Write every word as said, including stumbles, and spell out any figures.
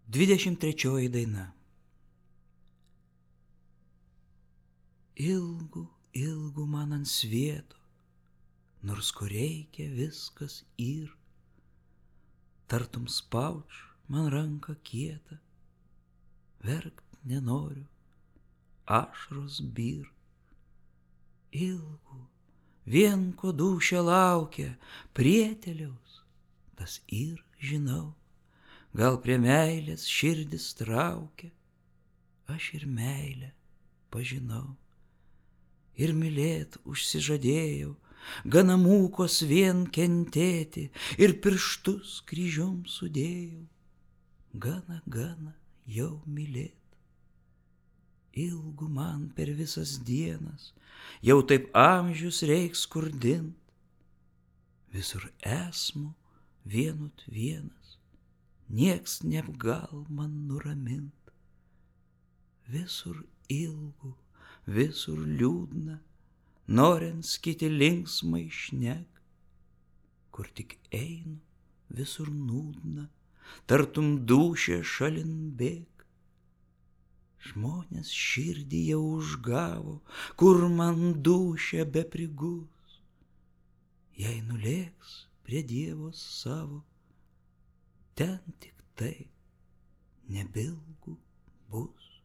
Dvidešimt trečioji daina. Ilgu, ilgu man ant svieto, nors ko reikia viskas yr, tartum spauč man ranką kietą, verkt nenoriu, ašros byr. Ilgu, vien ko dūšia laukia, prieteliaus, tas yr žinau, gal prie meilės širdis traukia, aš ir meilę pažinau. Ir mylėt užsižadėjau, gana mūkos vien kentėti, ir pirštus kryžium sudėjau, gana, gana jau mylėt. Ilgu man per visas dienas, jau taip amžius reiks skurdint, visur esmu vienut vienas, nieks neapgal man nuramint. Visur ilgu, visur liūdna, norint kiti linksmai šnek, kur tik einu, visur nūdna, tartum dūšia šalin bėg. Žmonės širdį jau užgavo, kur man dūšia beprigus, jei nulėks prie Dievo savo, ten tik tai nebilgu bus.